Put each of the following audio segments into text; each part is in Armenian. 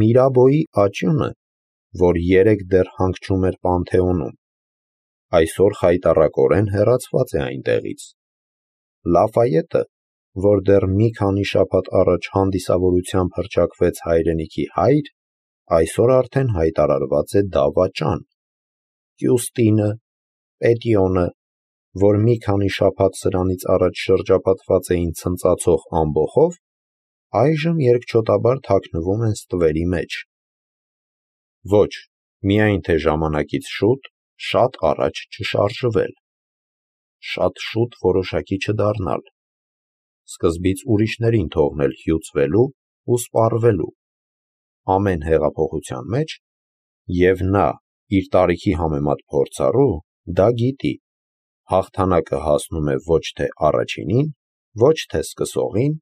Միրաբոյի աճյունը, որ երեկ դեռ հանգչում էր Պանթեոնում, այսօր խայտառակորեն հեռացված է այնտեղից։ Լաֆայետը, որ դեռ մի քանի շաբաթ առաջ հանդիսավորությամբ հռչակվեց հայրենիքի հայր, այսօր արդեն հայտարարված է դավաճան։ Կյուստինը, Պետիոնը, որ մի քանի շաբաթ սրանից առաջ շրջապատված էին ցնծացող ամբոխով, այժմ երկչոտաբար թաքնվում են ստվերի մեջ։ Ոչ, միայն թե ժամանակից շուտ, շատ առաջ չշարժվել, շատ շուտ որոշակի չդառնալ, սկզբից ուրիշներին թողնել հյուծվելու ու սպառվելու ամեն հեղափոխության մեջ, և նա, իր տարիքի համեմատ փորձառու, դա գիտի, հաղթանակը հասնում է ոչ թե առաջինին, ոչ թե սկսողին,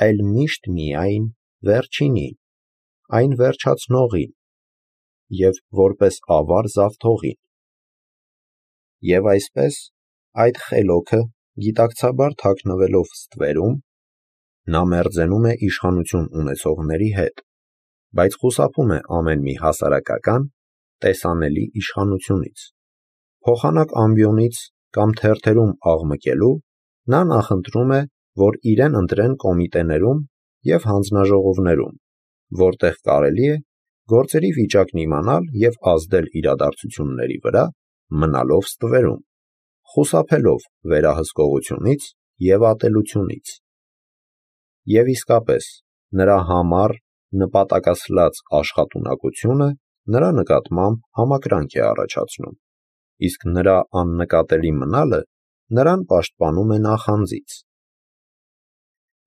այլ միշտ միայն վերջինին, այն վերջացնողին և որպես ավար զավթողին։ Եվ այսպես, այդ խելոքը գիտակցաբար թաքնվելով ստվերում, նա մերձենում է իշխանություն ունեցողների հետ, բայց խուսափում է ամեն մի հասարակական, տեսանելի իշխանությունից։ Փոխանակ ամբիոնից կամ թերթերում աղմկելու, նա նախընտրում է, որ իրեն ընտրեն կոմիտեներում և հանձնաժողովներում, որտեղ կարելի է գործերի վիճակն իմանալ և ազդել իրադարձությունների վրա, մնալով ստվերում, խուսափելով վերահսկողությունից և ատելությունից։ Եվ իսկապես, նրա համառ, նպատակասլաց աշխատունակությունը նրա նկատմամբ համակրանք է առաջացնում, իսկ նրա աննկատելի մնալը նրան պաշտպանում է նախանձից։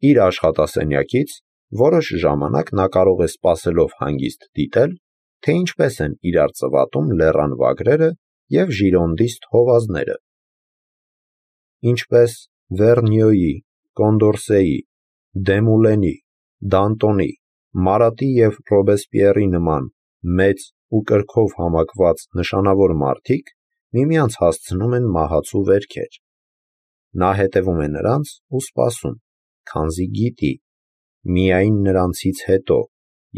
Իր աշխատասենյակից որոշ ժամանակ նա կարող է սպասելով հանգիստ դիտել, թե ինչպես են իրար ծվատում լեռան վագրերը և ժիրոնդիստ հովազները։ Ինչպես Վերնյոյի, Կոնդորսեի, Դեմուլենի, Դանտոնի, Մարատի և Ռոբեսպիերի նման մեծ ու կրքով համակված նշանավոր մարդիկ միմյանց հասցնում են մահացու վերքեր։ Նա հետևում է նրանց ու սպասում, քանզի գիտի, միայն նրանցից հետո,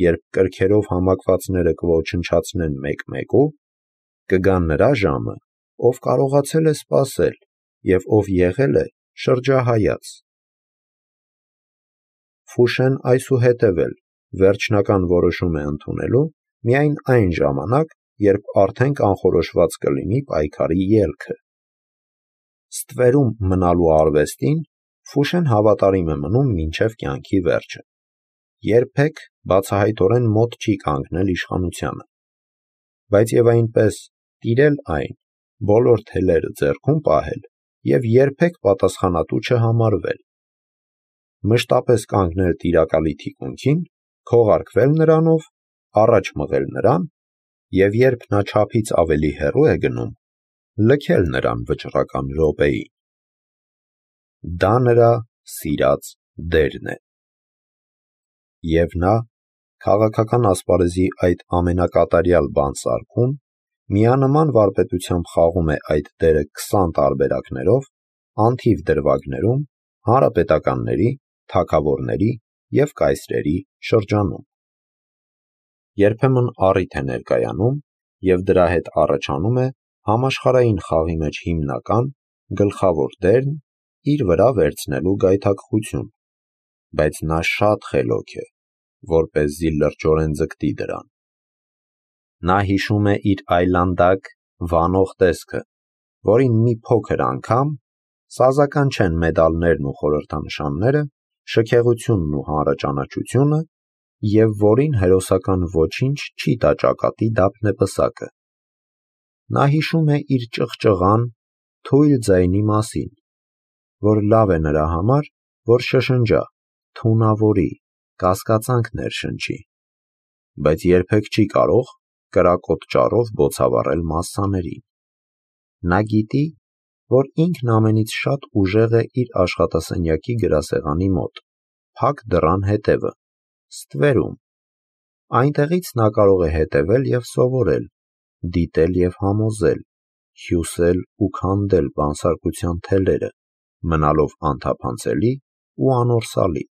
երբ կրքերով համակվածները կոչնչացնեն մեկ-մեկու, կգա նրա ժամը, ով կարողացել է սպասել և ով եղել է շրջահայաց։ Ֆուշեն այսուհետև էլ վերջնական որոշում է ընդունելու միայն այն ժամանակ, երբ արդեն կանխորոշված կլինի պայքարի ելքը։ Ստվերում մնալու արվեստին Ֆուշեն հավատարիմ է մնում մինչև կյանքի վերջը։ Երբեք բացահայտորեն մոտ չի կանգնել իշխանությանը, բայց և այնպես տիրել այն, բոլոր թելերը ձեռքում պահել և երբեք պատասխանատու չհամարվել։ Մշտապես կանգնել տիրակալի թիկունքին, քողարկվել նրանով, առաջ մղել նրան և երբ նա չափից ավելի հեռու է գնում, լքել նրան վճռական րոպեին։ Դա նրա սիրած դերն է։ Եվ նա, քաղաքական ասպարեզի այդ ամենակատարյալ բանսարկում, միանման վարպետությամբ խաղում է այդ դերը 20 տարբերակներով, անթիվ դրվագներում, հանրապետականների, թագավորների և կայսրերի շրջանում։ Երբեմն առիթ է ներկայանում, և դրա հետ առաջանում է համաշխարհային խաղի մեջ հիմնական, գլխավոր դերն իր վրա վերցնելու գայթակղություն, բայց նա շատ խելոք է, որպեսզի լրջորեն ձգտի դրան։ Նա հիշում է իր այլանդակ, վանող տեսքը, որին մի փոքր անգամ, սազական չեն մեդալներն ու խորհրդանշանները, շքեղությունն ու հանրաճանաչությունը, և որին հերոսական ոչինչ չի տա ճակատի դափնեպսակը։ Նա հիշում է իր ճղճղան, թույլ ձայնի մասին, որ լավ է նրա համար, որ շշնջա, թունավորի, կասկածանք ներշնչի, բայց երբեք չի կարող կրակոտ ճառով բոցավառել մասսաներին։ Նա գիտի, որ ինքն ամենից շատ ուժեղ է իր աշխատասենյակի գրասեղանի մոտ, փակ դռան հետևը, ստվերում։ Այնտեղից նա կարող է հետևել և սովորել, դիտել և համոզել, հյուսել ու քանդել բանսարկության թելերը, մնալով անթափանցելի ու անորսալի։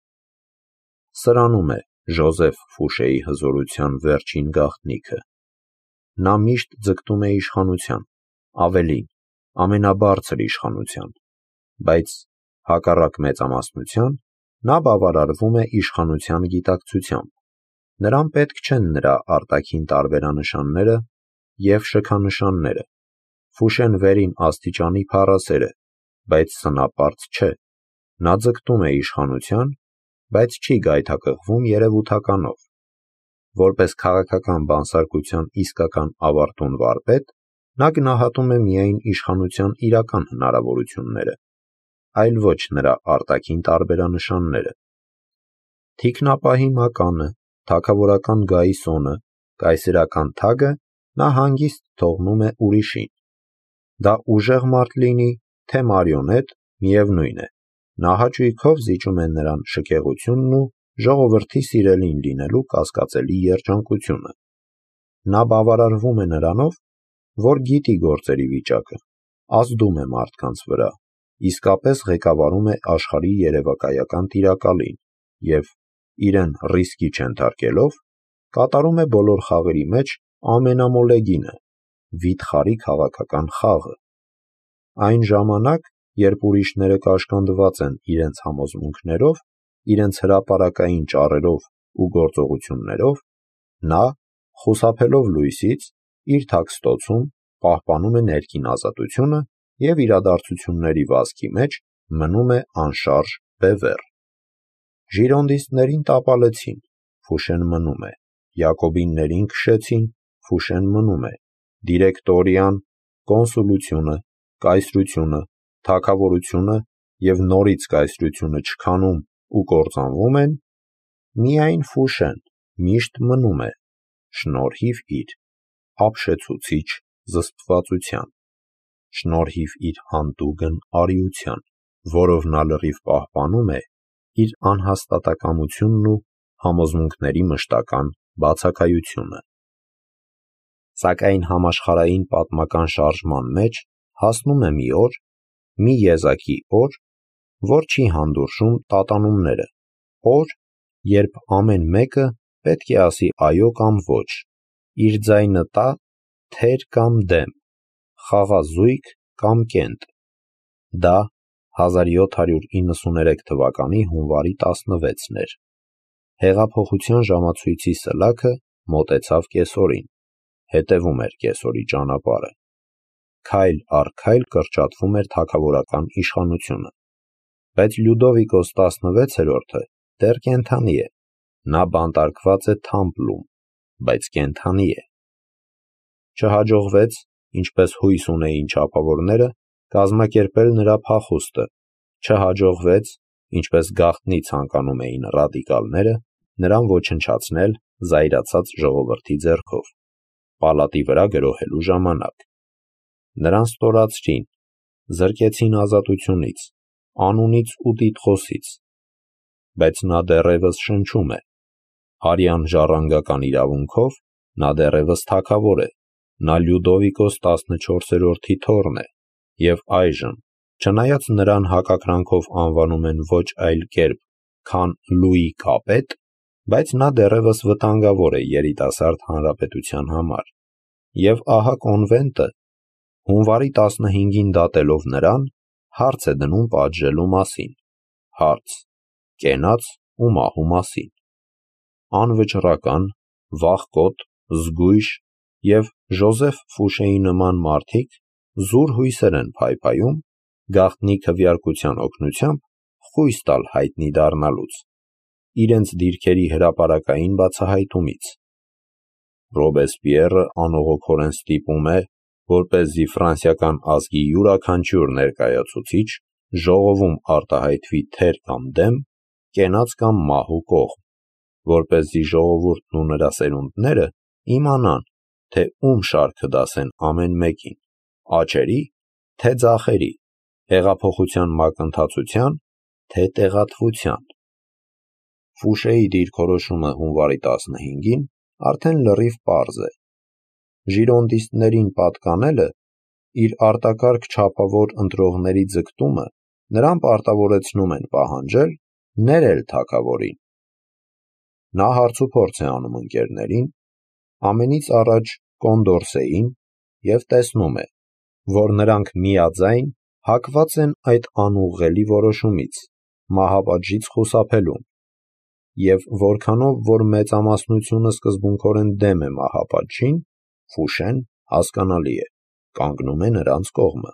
Սրանում է, Ժոզեֆ Ֆուշեի հզորության վերջին գաղտնիքը։ Նա միշտ ձգտում է իշխանության, ավելին, ամենաբարձր իշխանության, բայց հակառակ մեծամասնության, նա բավարարվում է իշխանության գիտակցությամբ։ Նրան պետք չեն նրա արտաքին տարբերանշանները և շքանշանները։ Ֆուշեն վերին աստիճանի փառասեր է, բայց սնապարծ չէ։ Նա ձգտում է իշխանության, բայց չի գայթակղվում երևութականով։ Որպես քաղաքական բանսարկության իսկական ավարտուն վարպետ, նա գնահատում է միայն իշխանության իրական հնարավորությունները, այլ ոչ նրա արտաքին տարբերանշանները։ Թիկնապահի մականը, թագավորական գայսոնը, կայսերական թագը նա հանգիստ թողնում է ուրիշին։ Դա ուժեղ մարդ լինի, թե մարիոնետ, միևնույն է, նա հաճույքով զիջում է նրան շքեղությունն ու ժողովրդի սիրելին լինելու կասկածելի երջանկությունը։ Նա բավարարվում է նրանով, որ գիտի գործերի վիճակը, ազդում է մարդկանց վրա, իսկապես ղեկավարում է աշխարհի երևակայական տիրակալին և, իրեն ռիսկի չենթարկելով, կատարում է բոլոր խաղերի մեջ ամենամոլեգինը՝ վիթխարի քաղաքական խաղը։ Այն ժամանակ, երբ ուրիշները կաշկանդված են իրենց համոզմունքներով, իրենց հրապարակային ճառերով ու գործողություններով, նա, խուսափելով լույսից, իր թաքստոցում պահպանում է ներքին ազատությունը և իրադարձությունների վազքի մեջ մնում է անշարժ բևեռ։ Ժիրոնդիստներին տապալեցին, Ֆուշեն մնում է, յակոբիններին քշեցին, Ֆուշեն մնում է, դիրեկտորիան, կոնսուլությունը, կայսրությունը, թագավորությունը և նորից կայսրությունը չքանում ու կործանվում են, միայն Ֆուշեն միշտ մնում է, շնորհիվ իր ապշեցուցիչ զսպվածության, շնորհիվ իր հանդուգն արիության, որով նա լրիվ պահպանում է իր անհաստատակամությունն ու համոզմունքների մշտական բացակայությունը։ Սակայն համաշխարհային պատմական շարժման մեջ հասնում է մի օր, մի եզակի օր, որ չի հանդուրժում տատանումները, օր, երբ ամեն մեկը պետք է ասի այո կամ ոչ, իր ձայնը տա թեր կամ դեմ, խաղազույգ կամ կենտ։ Դա 1793 թվականի հունվարի 16-ն էր։ Հեղափոխության ժամացույցի սլաքը մոտեցավ կեսօրին, հետևում էր կեսօրի ճանապարհը։ Քայլ առ քայլ կրճատվում էր թագավորական իշխանությունը։ Բայց Լյուդովիկոս 16-րդը դեռ կենդանի է, նա բանտարկված է Թամպլում, բայց կենդանի է։ Չհաջողվեց, ինչպես հույս ունեին չափավորները, կազմակերպել նրա փախուստը, չհաջողվեց, ինչպես գաղտնի ցանկանում էին ռադիկալները, նրան ոչնչացնել զայրացած ժողովրդի ձեռքով, պալատի վրա գրոհելու ժամանակ։ Նրան ստորացրին, զրկեցին ազատությունից, անունից ու տիտղոսից, բայց նա դեռևս շնչում է։ Արյան ժառանգական իրավունքով նա դեռևս թագավոր է, նա Լյուդովիկոս 14-րդի թոռն է, և այժմ, չնայած նրան հակակրանքով անվանում են ոչ այլ կերպ, քան Լուի Կապետ, բայց նա դեռևս վտանգավոր է երիտասարդ հանրապետության համար։ Եվ ահա կոնվենտը, հունվարի 15-ին դատելով նրան, հարց է դնում պատժելու մասին, հարց, կենաց ու մահու մասին։ Անվճռական, վախկոտ, զգույշ և Ժոզեֆ Ֆուշեի նման մարդիկ զուր հույսեր են փայփայում գաղտնի քվեարկության օգնությամբ խույս տալ հայտնի դառնալուց, իրենց դիրքերի հրապարակային բացահայտումից։ Ռոբեսպիեռը անողոքորեն ստիպում է, որպեսզի ֆրանսիական ազգի յուրաքանչյուր ներկայացուցիչ ժողովում արտահայտվի թեր կամ դեմ, կենաց կամ մահու կողմ, որպեսզի ժողովուրդն ու նրա սերունդները իմանան, թե ում շարքը դասեն ամեն մեկին, աջերի, թե ձախերի, հեղափոխության մակընթացության, թե տեղատվության։ Ֆուշեի դիրքորոշումը հունվարի 15-ին արդեն լրիվ պարզ է։ Ժիրոնդիստներին պատկանելը, իր արտակարգ չափավոր ընտրողների ձգտումը նրան պարտավորեցնում են պահանջել ներել թագավորին։ Նա հարցուփորձ է անում ընկերներին, ամենից առաջ Կոնդորսեին և տեսնում է, որ նրանք միաձայն հակված են այդ անուղղելի որոշումից, մահապատժից խուսափելուն, և որքանով որ մեծամասնությունը սկզբունքորեն դեմ է մահապատժին, Ֆուշեն, հասկանալի է, կանգնում է նրանց կողմը։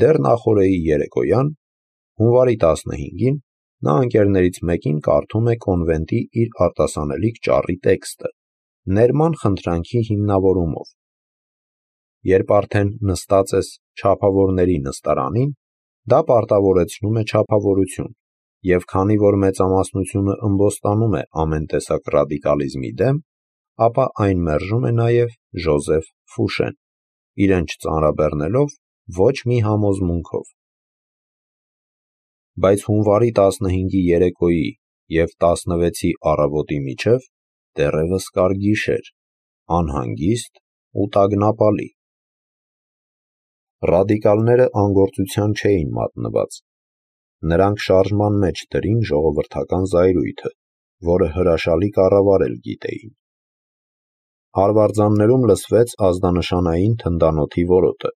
Դեռ նախօրեի երեկոյան, հունվարի 15-ին, նա ընկերներից մեկին կարդում է կոնվենտի իր արտասանելիք ճառի տեքստը, ներման խնդրանքի հիմնավորումով։ Երբ արդեն նստած ես չափավորների նստարանին, դա պարտավորեցնում է չափավորություն, և քանի որ մեծամասնությունը ըմբոստանում է ամեն տեսակ ռադիկալիզմի դեմ, ապա այն մերժում է նաև Ժոզեֆ Ֆուշեն, իրեն չծանրաբեռնելով ոչ մի համոզմունքով։ Բայց հունվարի 15-ի երեկոյի և 16-ի առավոտի միջև դեռևս կար գիշեր, անհանգիստ ու տագնապալի։ Ռադիկալները անգործության չէին մատնված։ Նրանք շարժման մեջ դրին ժողովրդական զայրույթը, որը հրաշալի կառավարել գիտեին։ Արվարձաններում լսվեց ազդանշանային թնդանոթի որոտը։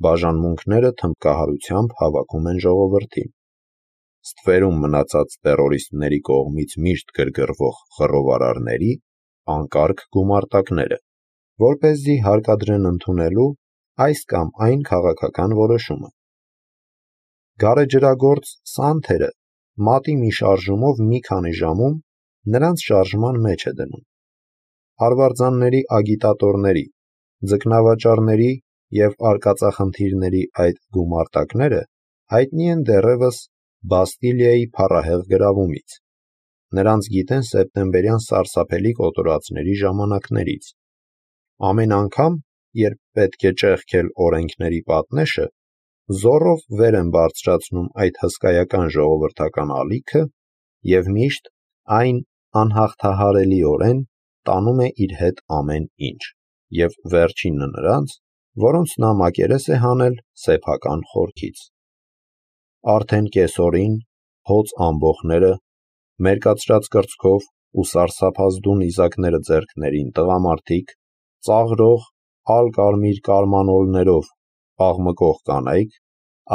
Բաժանմունքները թմբկահարությամբ հավաքում են ժողովրդին։ Ստվերում մնացած տերորիստների կողմից միշտ գրգռվող խռովարարների անկարգ գումարտակները, որպեսզի հարկադրեն ընդունելու այս կամ այն քաղաքական որոշումը։ Գարեջրագործ Սանթերը մատի մի շարժումով մի քանի ժամում նրանց շարժման մեջ է դնում։ Արվարձանների ագիտատորների, ձկնավաճառների և արկածախնդիրների այդ գումարտակները հայտնի են դեռևս Բաստիլիայի փառահեղ գրավումից։ Նրանց գիտեն սեպտեմբերյան սարսափելի կոտորածների ժամանակներից։ Ամեն անգամ, երբ պետք է ճեղքել օրենքների պատնեշը, զոռով վեր են բարձրացնում այդ հսկայական ժողովրդական ալիքը և միշտ այն անհաղթահարելիորեն տանում է իր հետ ամեն ինչ, և վերջինը նրանց, որոնց նա մակերես է հանել սեփական խորքից։ Արդեն կեսօրին, հոծ ամբոխները, մերկացրած կրծքով ու սարսափազդու նիզակները ձեռքներին տղամարդիկ, ծաղրող ալ-կարմիր կարմանոլներով աղմկող կանայք,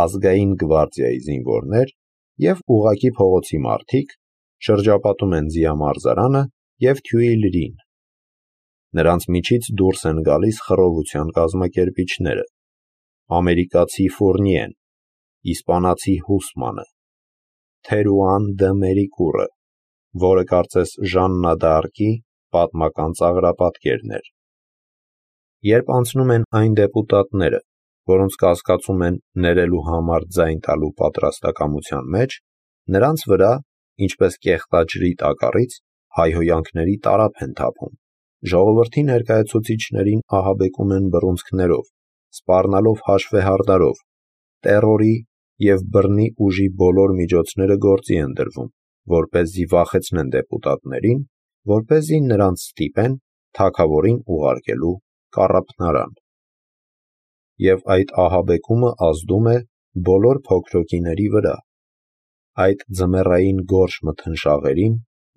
ազգային գվարդիայի զինվորներ և ուղղակի փողոցի մարդիկ շրջապատում են Ձիամարզարանը և Թյուիլրին։ Նրանց միջից դուրս են գալիս խռովության կազմակերպիչները՝ ամերիկացի Ֆուրնիեն, իսպանացի Հուսմանը, Թերուան դը Մերիկուրը, որը կարծես Ժաննա դ'Արկի պատմական ծաղրապատկերն էր։ Երբ անցնում են այն դեպուտատները, որոնց կասկածում են ներելու համար ձայն տալու պատրաստակամության մեջ, նրանց վրա, ինչպես կեղտաջրի տակառից, հայհոյանքների տարափ են թափում, ժողովրդի ներկայացուցիչներին ահաբեկում են բռունցքներով, սպառնալով հաշվեհարդարով, տեռորի և բռնի ուժի բոլոր միջոցները գործի են դրվում, որպեսզի վախեցնեն դեպուտատներին, որպեսզի նրանց ստիպեն թագավորին ուղարկելու կառափնարան։ Եվ այդ ահաբեկումը ազդում է բոլոր փոքրոքիների վրա։ Այդ ձմեռային գորշ մթնշաղերին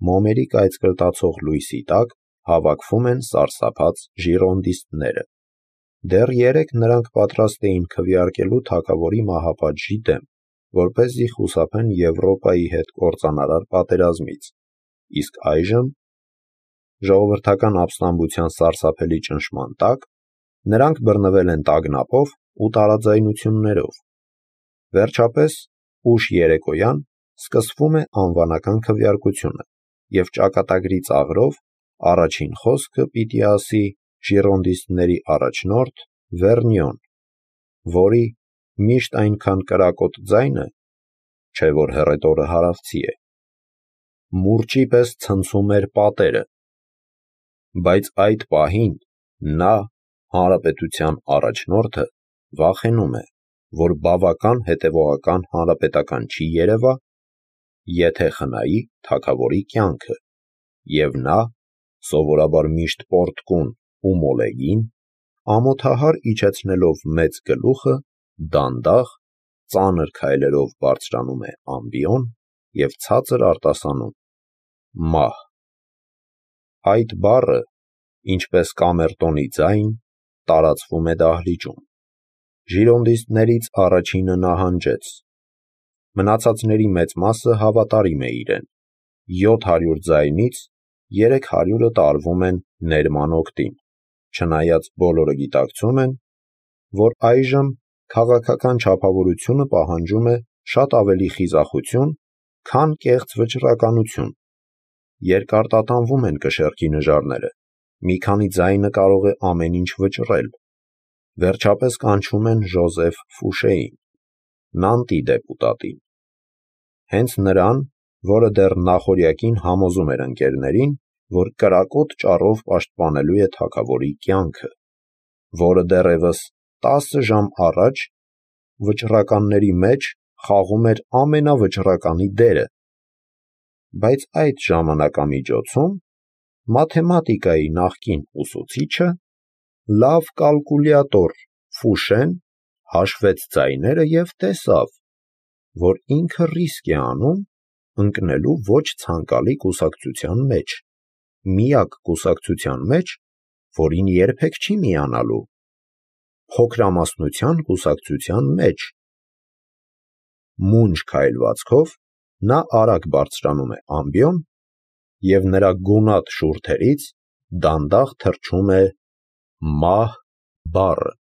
մոմերի կայծկրտացող լույսի տակ հավաքվում են սարսափած ժիրոնդիստները։ Դեռ երեկ նրանք պատրաստ էին քվեարկելու թագավորի մահապատժի դեմ, որպեսզի խուսափեն Եվրոպայի հետ կործանարար պատերազմից, իսկ այժմ, ժողովրդական ապստամբության սարսափելի ճնշման տակ, նրանք բռնվել են տագնապով ու տարաձայնություններով։ Վերջապես, ուշ երեկոյան սկսվում է անվանական քվեարկությունը, և ճակատագրի ծաղրով առաջին խոսքը պիտի ասի ժիրոնդիստների առաջնորդ Վերնյոն, որի միշտ այնքան կրակոտ ձայնը, չէ որ հեռետորը հարավցի է, մուրճի պես ցնցում էր պատերը։ Բայց այդ պահին նա, հանրապետության առաջնորդը, վախենում է, որ բավական հետևողական հանրապետական չի երևա, եթե խնայի թագավորի կյանքը, և նա, սովորաբար միշտ պոռթկուն ու մոլեգին, ամոթահար իջեցնելով մեծ գլուխը, դանդաղ, ծանր քայլերով բարձրանում է ամբիոն և ցածր արտասանում. մահ։ Այդ բառը, ինչպես կամերտոնի ձայն, տարածվում է դահլիճում։ Ժիրոնդիստներից առաջինը նահանջեց։ Մնացածների մեծ մասը հավատարիմ է իրեն։ 700 ձայնից 300-ը տարվում են ներման օգտին, չնայած բոլորը գիտակցում են, որ այժմ քաղաքական չափավորությունը պահանջում է շատ ավելի խիզախություն, քան կեղծ վճռականություն։ Երկարտատանվում են կշեռքի նժարները, մի քանի ձայնը կարող է ամեն ինչ վճռել։ Վերջապես կանչում են Ժոզեֆ Ֆուշեին, Նանտի դեպուտատին։ Հենց նրան, որը դեռ նախօրյակին համոզում էր ընկերներին, որ կրակոտ ճառով պաշտպանելու է թագավորի կյանքը, որը դեռևս 10 ժամ առաջ վճռականների մեջ խաղում էր ամենավճռականի դերը։ Բայց այդ ժամանակամիջոցում մաթեմատիկայի նախկին ուսուցիչը, լավ կալկուլյատոր Ֆուշեն, հաշվեց ձայները և տեսավ, որ ինքը ռիսկ է անում ընկնելու ոչ ցանկալի կուսակցության մեջ, միակ կուսակցության մեջ, որին երբեք չի միանալու, փոքրամասնության կուսակցության մեջ։ Մունջ քայլվածքով նա արագ բարձրանում է ամբիոն, և նրա գունատ շուրթերից դանդաղ թռչում է «մահ» բառը։